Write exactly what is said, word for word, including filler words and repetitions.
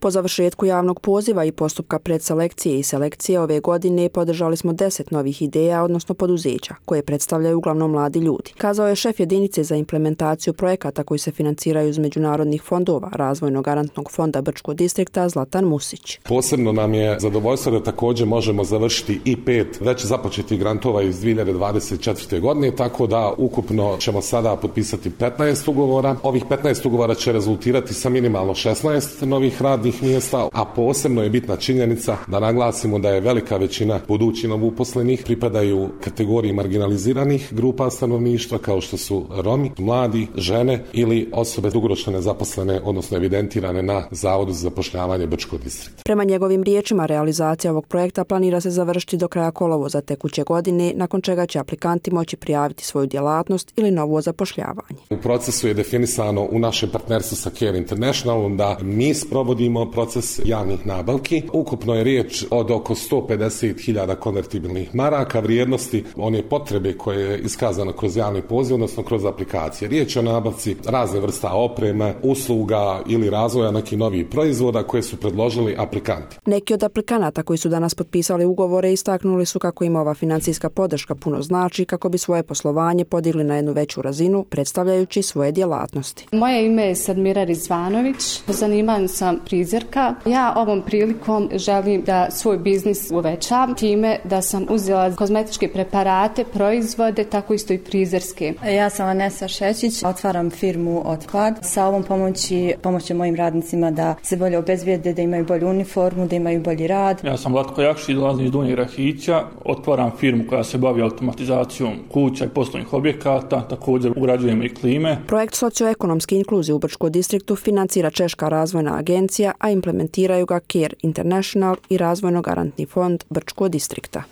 Po završetku javnog poziva i postupka predselekcije i selekcije ove godine podržali smo deset novih ideja, odnosno poduzeća, koje predstavljaju uglavnom mladi ljudi, kazao je šef jedinice za implementaciju projekata koji se financiraju iz međunarodnih fondova Razvojnog garantnog fonda Brčkog distrikta Zlatan Musić. Posebno nam je zadovoljstvo da također možemo završiti i pet već započetih grantova iz dvije hiljade dvadeset četvrte. godine, tako da ukupno ćemo sada potpisati petnaest ugovora. Ovih petnaest ugovora će rezultirati sa minimalno šesnaest novih radnih mjesta, a posebno je bitna činjenica da naglasimo da je velika većina budućih novouposlenih pripadaju kategoriji marginaliziranih grupa stanovništva kao što su Romi, mladi, žene ili osobe dugoročno nezaposlene, odnosno evidentirane na Zavodu za zapošljavanje Brčkog distrikta. Prema njegovim riječima, realizacija ovog projekta planira se završiti do kraja kolovoza tekuće godine, nakon čega će aplikanti moći prijaviti svoju djelatnost ili novo zapošljavanje. U procesu je definisano u našem partnerstvu sa Care Internationalom da mi sprovodimo proces javnih nabavki. Ukupno je riječ od oko sto pedeset hiljada konvertibilnih maraka vrijednosti one potrebe koje je iskazano kroz javni poziv, odnosno kroz aplikacije. Riječ je o nabavci razne vrsta opreme, usluga ili razvoja nekih novih proizvoda koje su predložili aplikanti. Neki od aplikanata koji su danas potpisali ugovore istaknuli su kako im ova financijska podrška puno znači kako bi svoje poslovanje podigli na jednu veću razinu, predstavljajući svoje djelatnosti. Moje ime je Sadmira Rizvanović, po zanimanju sam frizerka. Ja ovom prilikom želim da svoj biznis uvećam time da sam uzela kozmetičke preparate, proizvode, tako isto i frizerske. Ja sam Vanessa Šećić, otvaram firmu Otpad. Sa ovom pomoći pomoći mojim radnicima da se bolje obezbijede, da imaju bolju uniformu, da imaju bolji rad. Ja sam Vlatko Jakšić, dolazim iz Donjeg Rahića, otvaram firmu koja se bavi automatizacijom kuća i poslovnih objekata, također ugrađujemo i klime. Projekt socioekonomske inkluzije u Brčkom distriktu financira Češka razvojna agencija, a implementiraju ga Care International i Razvojno garantni fond Brčkog distrikta.